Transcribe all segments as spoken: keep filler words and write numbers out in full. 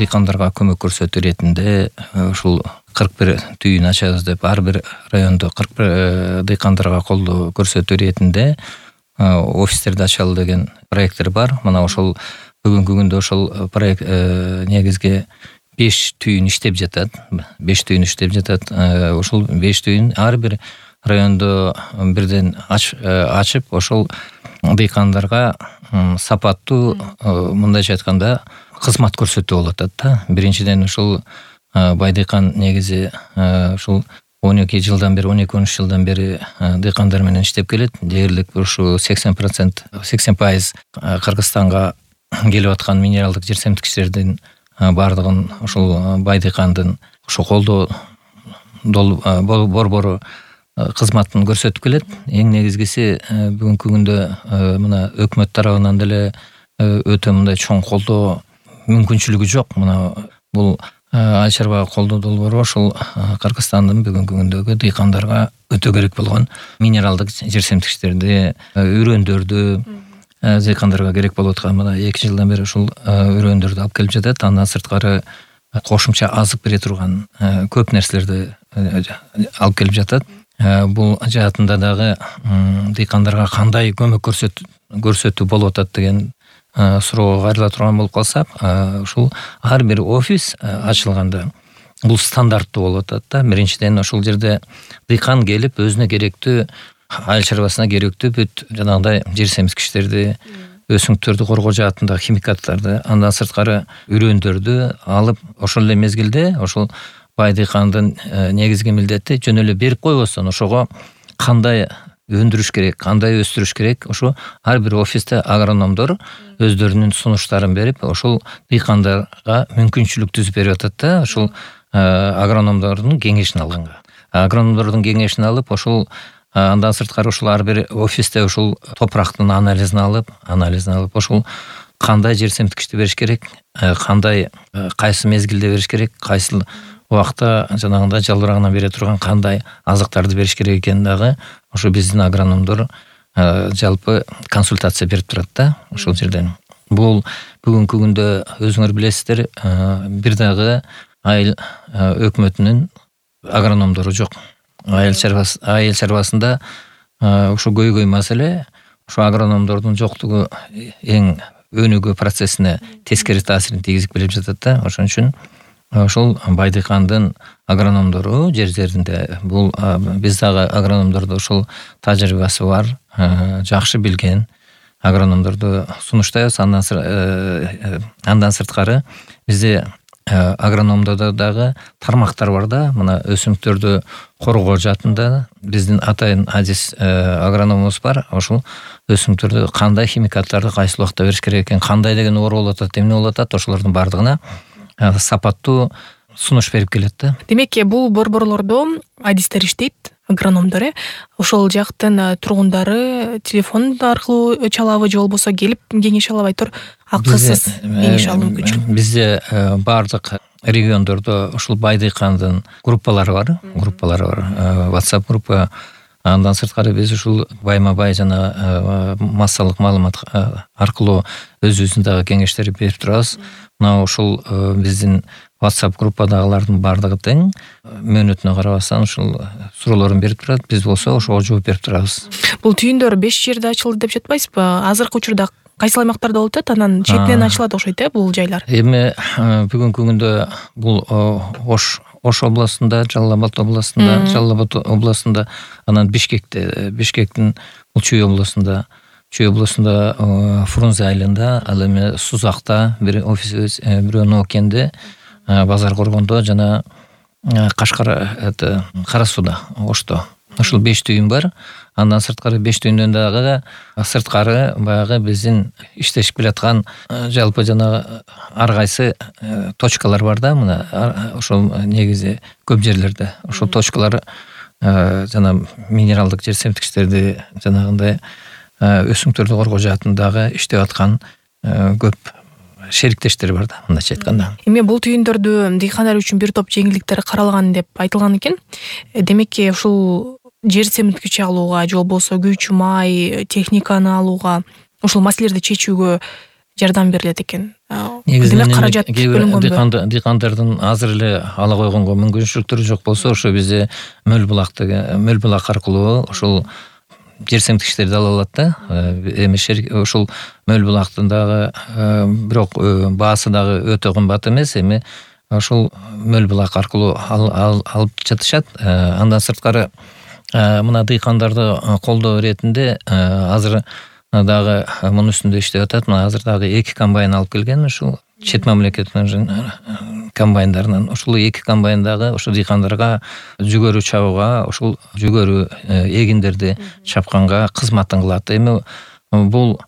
дыйкандарга көмөк көрсөтүү иретинде ушул кырк бир түйүн ачабыз деп ар бир райондо кырк бир дыйкандарга колдоо көрсөтүү иретинде офистерди ачалы деген проекттер бар. Мына ошол бүгүнкү күндө ошол проект негизги беш түйүн иштеп жатат. беш түйүн иштеп жатат. Ошол беш түйүн ар бир райондо бирден ачып, ошол дыйкандарга сапаттуу, мындайча айтканда, кызмат көрсөтүү болуп атат да. Биринчиден ушул Байдыйкан негизи ушул он эки жылдан бери, он эки он үч жылдан бери дыйкандар менен иштеп келет. Дээрлик ушу сексен процент, сексен пайыз Кыргызстанга келип аткан минералдык жерсемтикичтердин бардыгын ушул Байдыйкандын ушу колдоо борбору кызматын көрсөтүп келет. Эң негизгиси бүгүнкү күндө мына өкмөт тарабынан деле өтө мындай чоң колдоо мүмкүнчүлүгү жок. Мына бул Айыл чарба колдоо долбоору ошол Кыргызстандын бүгүнкү күндөгү дыйкандарга өтө керек болгон минералдык жерсемтикичтерди, үрөндөрдү дыйкандарга керек болуп аткан мына эки жылдан бери ушул үрөндөрдү алып келип жатат. Андан сырткары кошумча азык бере турган көп нерселерди алып келип жатат. Бул жаатында дагы дыйкандарга кандай көмөк көрсөтүү болуп атат деген суроого кайрыла турган болуп калсак, ушул ар бир офис ачылганда бул стандарттуу болуп атат да. Биринчиден ошол жерде дыйкан келип өзүнө керектүү, айыл чарбасына керектүү бүт жанагындай жер семткичтерди, өсүмдүктөрдү коргоо жаатындагы химикаттарды, андан сырткары үрөндөрдү алып, ошол эле мезгилде ошол Байдыйкандын негизги милдети жөн эле берип койбостон ошого кандай өндүрүш керек, кандай өстүрүш керек, ошо ар бир офисте агрономдор өздөрүнүн сунуштарын берип, ошол дыйкандарга мүмкүнчүлүк түзүп берип атат да. Ошол агрономдордун кеңешин алганга. Агрономдордун кеңешин алып, ошол андан сырткары ошол ар бир офисте ошол топурактын анализин алып, анализин алып, ошол кандай жер семткичти бериш керек, кандай кайсы мезгилде бериш керек, кайсы убакта жанагындай жалбырагынан бере турган кандай азыктарды бериш керек экенин дагы ошо биздин агрономдор жалпы консультация берип турат да ошол жерден. Бул бүгүнкү күндө өзүңөр билесиздер, бир дагы айыл өкмөтүнүн агрономдору жок. Айыл чарбасы, айыл чарбасында ошо көйгөй маселе, ошо агрономдордун жоктугу эң өнүгүү процессине тескери таасирин тийгизип келип жатат да. Ошон үчүн ошол Байдыйкандын агрономдору жер жеринде бул биз дагы агрономдордо ошол тажрыйбасы бар, жакшы билген агрономдорду сунуштайбыз. Андан сырткары бизде агрономдордо дагы тармактар бар да. Мына өсүмдүктөрдү коргоо жаатында биздин атайын адис агрономубуз бар. Ошол өсүмдүктөрдү кандай химикаттарды кайсы убакта бериш керек экен, кандай деген оор болуп атат, эмне болуп атат, ошолордун бардыгына сапаттуу сунуш берип келет да. Демек, бул борборлордо адистер иштейт, агрономдор, э? Ошол жактын тургундары телефон аркылуу чалабы же болбосо келип кеңеш алабы, айтор акысыз кеңеш алуу мүмкүнчүлүк. Бизде бардык региондордо ушул Байдыйкандын группалары бар, группалары бар. WhatsApp группа. Андан сырткары биз ушул байма-бай жана массалык маалымат аркылуу өзүбүздүн дагы кеңештерди берип турабыз. Мына ушул биздин WhatsApp группадагылардын бардыгы тең, мөөнөтүнө карабастан ушул суроолорун берип турат. Биз болсо ошого жооп берип турабыз. Бул түйүндөр беш жерде ачылды деп жатпайсызбы? Азыркы учурда кайсы аймактарда болуп атат? Анан четинен ачылат окшойт, э, бул жайлар. Эми бүгүнкү күндө бул Ош Ош областында, Жалал Абад областында, Жалал Абад областында, анан Бишкекте, Бишкектин бул Чүй областында, Чүй областында Фрунзе айылында, ал эми Сузакта бир офисибиз, бирөө Ноокенде, Базар Коргондо жана Кашкар, это Кара Сууда, Ошто. Ошол беш түйүн бар. Андан сырткары беш түйүндөн дагы сырткары баягы биздин иштешип келаткан жалпы жана ар кайсы точкалар бар да. Мына ошол негизи көп жерлерде ошол точкалар жана минералдык жер семтикичтерди жанагындай өсүмдүктөрдү коргоо жаатындагы иштеп аткан көп шериктештер бар да, мындайча айтканда. Эми бул түйүндөрдү дыйкандар үчүн бир топ жеңилдиктер каралган деп айтылган экен. Демек, ушул жер семткич алууга же болбосо күйчү май техниканы алууга, ушул маселелерди чечүүгө жардам берилет экен. Негизинен каражат бөлүнгөнбү? Дыйкандардын азыр эле ала койгонго мүмкүнчүлүктөрү жок болсо, ошо бизде мөл булактык мөл булак аркылуу ошол жерсемтикичтерди ала алат да. Эми ошол мөл булактын дагы бирок баасы дагы өтө кымбат эмес. Эми ошол мөл булак аркылуу алып жатышат. Андан сырткары мына дыйкандарды колдоо иретинде азыр дагы мунун үстүндө иштеп атат. Мына азыр дагы эки комбайн алып келген, ушул чет мамлекеттин комбайндарынан. Ушул эки комбайн дагы ошо дыйкандарга жүгөрү чабууга, ушул жүгөрү эгиндерди чапканга кызматын кылат. Эми бул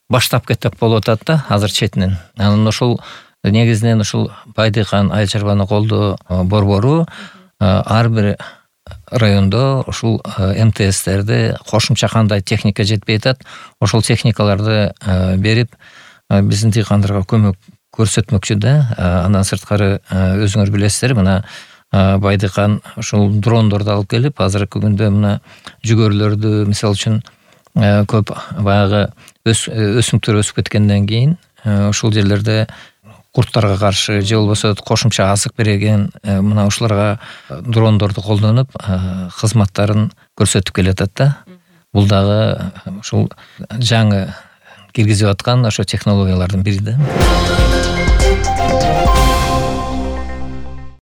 баштап кетип болуп атат да азыр четинен. Анан ошол негизинен ушул Байдыйкан айыл чарбаны колдоо борбору ар бир райондо ушул эм тэ эстерди кошумча кандай техника жетпей атат, ошол техникаларды берип биздин дыйкандарга көмөк көрсөтмөкчү да. Андан сырткары өзүңөр билесиздер, мына Байдыйкан ушул дрондорду алып келип, азыркы күндө мына жүгөрүлөрдү мисалы үчүн көп баягы өсүмдүктөр өсүп кеткенден кийин ушул жерлерде курттарга каршы же болбосо кошумча азык береген мына ушуларга дрондорду колдонуп кызматтарын көрсөтүп келатат да. Бул дагы ушул жаңы киргизип аткан ошо технологиялардын бири да.